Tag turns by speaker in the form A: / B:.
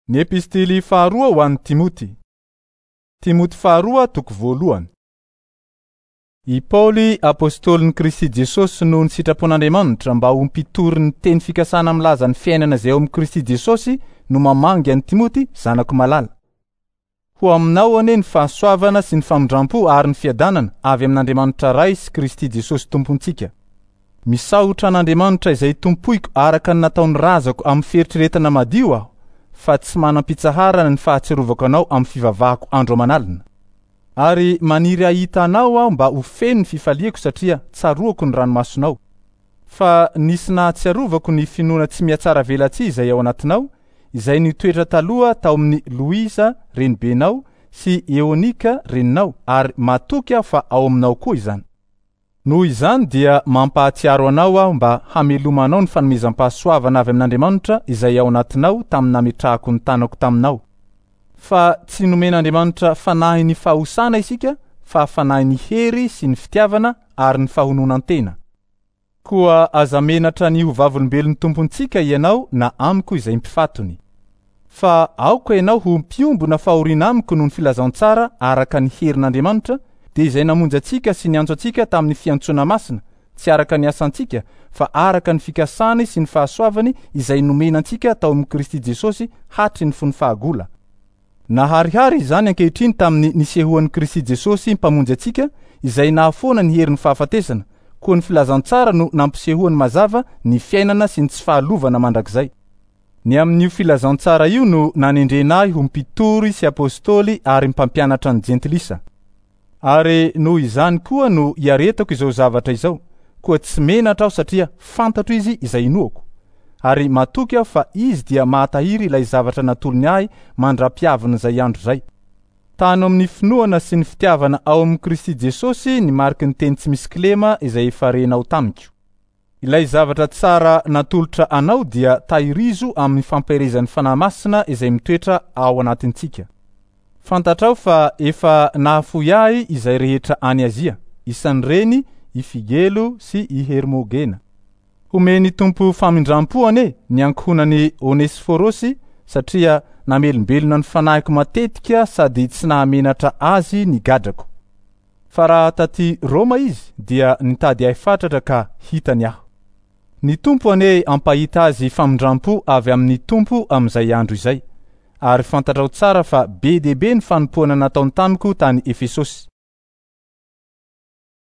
A: Ny epistily faharoa ho an'i Timoty. Timoty faharoa toko voalohany. I Paoly apostolin'i Kristy Jesosy noho ny sitrapon'Andriamanitra mba ho mpitory ny teny fikasana milaza ny fiainana izay ao amin'i Kristy Jesosy no mamangy an'i Timoty zanako malala. Ho aminao anie ny fahasoavana sy ny famindrampo ary ny fiadanana avy amin'Andriamanitra Ray sy Kristy Jesosy Tompontsika. Misaotra an'Andriamanitra izay tompoiko araka ny nataon'ny razako amin'ny fieritreretana madio aho, fa tsy manam-pitsaharana ny fahatsiarovako anao amin'ny fivavahako andro aman'alina. Ary maniry hahita anao aho mba ho feno ny fifaliako satria tsaroako ny ranomasonao. Fa nisy nahatsiarovako ny finoana tsy mihatsaravelatsihy izay ao anatinao, izay nitoetra taloha tao amin'i Loisa renibenao sy Eonika reninao, ary matoky aho fa ao aminao koa izany. Noho izany dia mampahatsiaro anao aho mba hamelomanao ny fanomezam-pahasoavana avy amin'Andriamanitra izay ao anatinao tamin'ny nametrahako ny tanako taminao. Fa tsy nomen'Andriamanitra fanahin'ny fahosana isika fa fanahin'ny hery sy ny fitiavana ary ny fahononan-tena. Koa aza menatra ny ho vavolombelon'ny Tompontsika ianao na amiko izay mpifatony. Fa aoka ianao ho mpiombona fahoriana amiko noho ny filazantsara araka ny herin'Andriamanitra, dia izay namonjy antsika sy niantso antsika tamin'ny fiantsoana masina, tsy araka ny asantsika, fa araka ny fikasany sy ny fahasoavany izay nomena antsika tao amin'i Kristy Jesosy hatry ny fony fahagola. Naharihary izany ankehitriny tamin'ny nisehoan'i Kristy Jesosy Mpamonjy antsika, izay nahafoana ny herin'ny fahafatesana, koa ny filazantsara no nampisehoany mazava ny fiainana sy ny tsy fahalovana mandrakizay. Ny amin'io filazantsara io no nanendrena ahy ho mpitory sy apostoly ary mpampianatra ny jentilisa. Ary noho izany koa no iaretako izao zavatra izao, koa tsy menatra aho satria fantatro izy izay inoako. Ary matoky aho fa izy dia mahatahiry ilay zavatra natolony ahy mandra-piavin'izay andro izay. Tano amin'ny finoana sy ny fitiavana ao amin'i Kristy Jesosy ny mariky ny teny tsy misy kilema izay efa renao tamiko. Ilay zavatra tsara natolotra anao dia tahirizo amin'ny fampaherezan'ny Fanahy Masina izay mitoetra ao anatintsika. Fantatrao fa efa nahafoy ahy izay rehetra any Azia, isan'ireny i Figelo sy i Hermogena. Homen'ny Tompo famindram-po anie ny ankohonan'i Onesifôrôsy satria namelombelona ny fanahiko matetika sady tsy nahamenatra azy ny gadrako. Fa raha taty Roma izy dia nitady ahy fatratra ka hitany aho. Ny Tompo anie hampahita azy famindrampo avy amin'ny Tompo amin'izay andro izay. Ary fantatrao tsara fa be dia be ny fanompoana nataony tamiko tany Efesosy.